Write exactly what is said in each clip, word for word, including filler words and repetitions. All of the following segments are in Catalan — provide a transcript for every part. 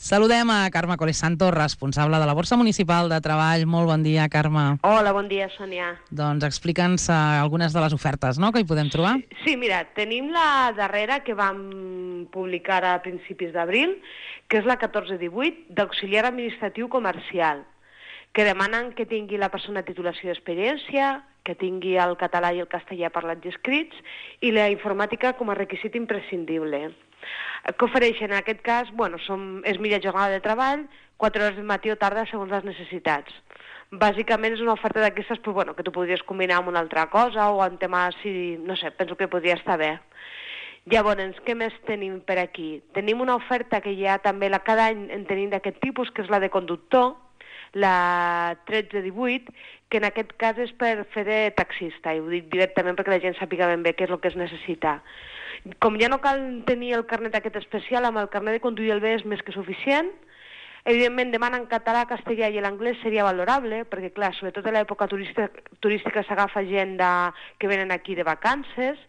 Saludem a Carme Colesanto, responsable de la Borsa Municipal de Treball. Molt bon dia, Carme. Hola, bon dia, Sònia. Doncs explica'ns uh, algunes de les ofertes, no?, que hi podem trobar. Sí, sí, mira, tenim la darrera que vam publicar a principis d'abril, que és la catorze divuit, d'auxiliar administratiu comercial, que demanen que tingui la persona titulació d'experiència, que tingui el català i el castellà parlats i escrits, i la informàtica com a requisit imprescindible. Què ofereixen? En aquest cas, bueno, som, és mitja jornada de treball, quatre hores de matí o tarda segons les necessitats. Bàsicament és una oferta d'aquestes, però, bueno, que tu podries combinar amb una altra cosa o en tema, si, no sé, penso que podria estar bé. Llavors, què més tenim per aquí? Tenim una oferta que ja també la, cada any en tenim d'aquest tipus, que és la de conductor, la tretze divuit, que en aquest cas és per fer de taxista, i ho dic directament perquè la gent sàpiga ben bé què és el que es necessita. Com ja no cal tenir el carnet aquest especial, amb el carnet de conduir el bé és més que suficient. Evidentment, demanen català, castellà i l'anglès seria valorable, perquè, clar, sobretot a l'època turística, turística s'agafa gent de, que venen aquí de vacances,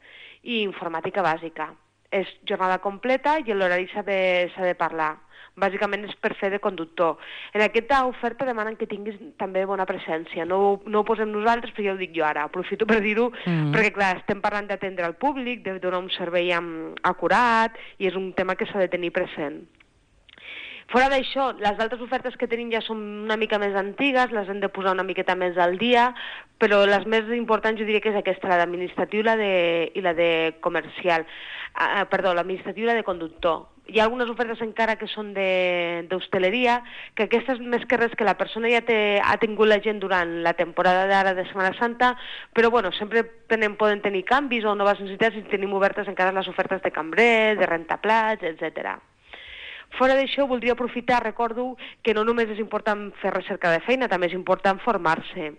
i informàtica bàsica. És jornada completa i l'horari s'ha de, s'ha de parlar. Bàsicament és per fer de conductor. En aquesta oferta demanen que tinguis també bona presència. No, no ho posem nosaltres, però ja ho dic jo ara. Aprofito per dir-ho, mm. perquè clar, estem parlant d'atendre al públic, de donar un servei amb, acurat, i és un tema que s'ha de tenir present. Fora d'això, les altres ofertes que tenim ja són una mica més antigues, les hem de posar una miqueta més al dia, però les més importants jo diria que és aquesta, la d'administratiu i la de, i la de comercial. Uh, perdó, l'administratiu i la de conductor. Hi ha algunes ofertes encara que són d'hostaleria, que aquestes més que res que la persona ja té, ha tingut la gent durant la temporada d'ara de Setmana Santa, però bueno, sempre tenen, poden tenir canvis o noves necessitats i tenim obertes encara les ofertes de cambrer, de rentaplats, etcètera. Fora d'això, voldria aprofitar, recordo que no només és important fer recerca de feina, també és important formar-se.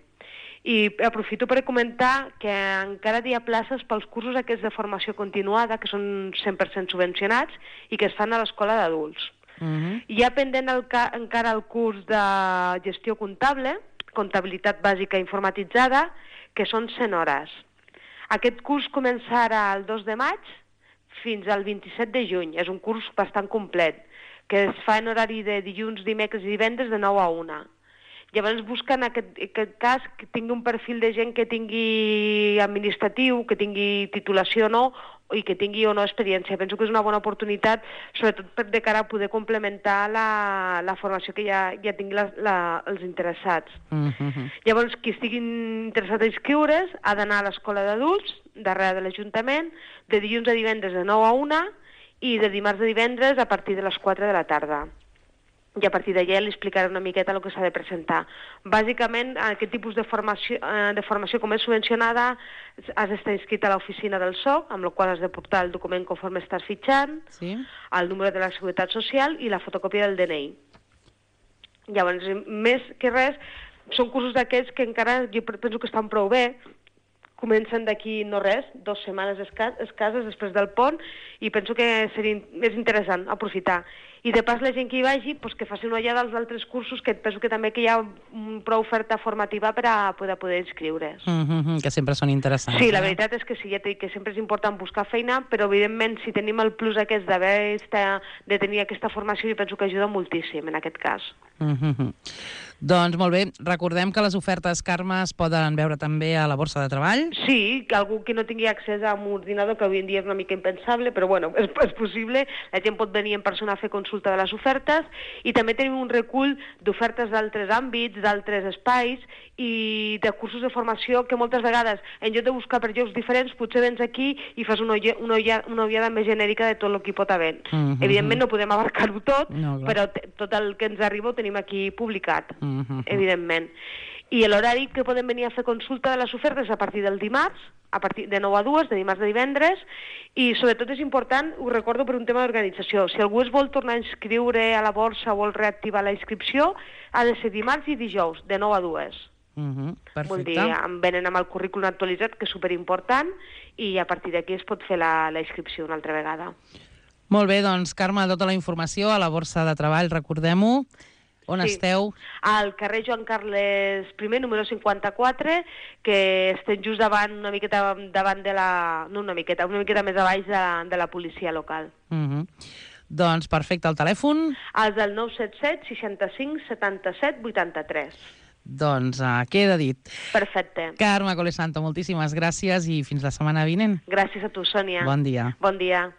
I aprofito per comentar que encara hi ha places pels cursos aquests de formació continuada, que són cent per cent subvencionats i que es fan a l'escola d'adults. Uh-huh. Hi ha pendent el ca encara el curs de gestió comptable, comptabilitat bàsica informatitzada, que són cent hores. Aquest curs començarà el dos de maig fins al vint-i-set de juny. És un curs bastant complet, que es fa en horari de dilluns, dimecres i divendres de nou a una. Llavors busquen en aquest, aquest cas que tingui un perfil de gent que tingui administratiu, que tingui titulació o no, i que tingui o no experiència. Penso que és una bona oportunitat, sobretot per de cara a poder complementar la, la formació que ja, ja tingui la, la, els interessats. Uh-huh. Llavors, qui estigui interessat a inscriure's ha d'anar a l'escola d'adults, darrere de l'Ajuntament, de dilluns a divendres de nou a una i de dimarts a divendres a partir de les quatre de la tarda. I a partir d'allà li explicaré una miqueta el que s'ha de presentar. Bàsicament, aquest tipus de formació, de formació com és subvencionada, has d'estar inscrit a l'oficina del S O C, amb la qual has de portar el document conforme estàs fitxant, sí, el número de la Seguretat Social i la fotocòpia del D N I. Llavors, més que res, són cursos d'aquests que encara jo penso que estan prou bé, comencen d'aquí no res, dues setmanes escasses després del pont, i penso que seria més interessant aprofitar. I de pas la gent que hi vagi, pues, que faci una ullada als altres cursos, que penso que també que hi ha prou oferta formativa per a poder, poder inscriure's. Mm-hmm, que sempre són interessants. Sí, la veritat és que sí, ja t'he dit que sempre és important buscar feina, però evidentment si tenim el plus aquest d'haver de tenir aquesta formació, jo penso que ajuda moltíssim en aquest cas. Mm-hmm. Doncs molt bé, recordem que les ofertes, Carme, es poden veure també a la Borsa de Treball. Sí, que algú que no tingui accés a un ordinador, que avui en dia és una mica impensable, però bueno, és, és possible, la gent pot venir en persona a fer consulta de les ofertes, i també tenim un recull d'ofertes d'altres àmbits, d'altres espais, i de cursos de formació que moltes vegades, en lloc de buscar per llocs diferents, potser vens aquí i fas una, una, una ullada més genèrica de tot el que hi pot haver. Mm-hmm. Evidentment no podem abarcar-ho tot, no, però tot el que ens arriba ho tenim aquí publicat. Mm-hmm. Evidentment. I l'horari que podem venir a fer consulta de les ofertes a partir del dimarts, a partir de nou a dues, de dimarts a divendres, i sobretot és important, ho recordo per un tema d'organització, si algú es vol tornar a inscriure a la borsa o vol reactivar la inscripció, ha de ser dimarts i dijous, de nou a dues. Uh-huh, perfecte. Vol dir, em venen amb el currículum actualitzat, que és superimportant, i a partir d'aquí es pot fer la, la inscripció una altra vegada. Molt bé, doncs, Carme, tota la informació a la Borsa de Treball, recordem-ho. On sí. esteu? Al carrer Joan Carles I, número cinquanta-quatre, que estem just davant, una miqueta davant de la... No una miqueta, una miqueta més a baix de, de la policia local. Uh-huh. Doncs perfecte, el telèfon? El del nou set set seixanta-cinc setanta-set vuitanta-tres. Doncs uh, queda dit. Perfecte. Carme Colesanto, moltíssimes gràcies i fins la setmana vinent. Gràcies a tu, Sònia. Bon dia. Bon dia.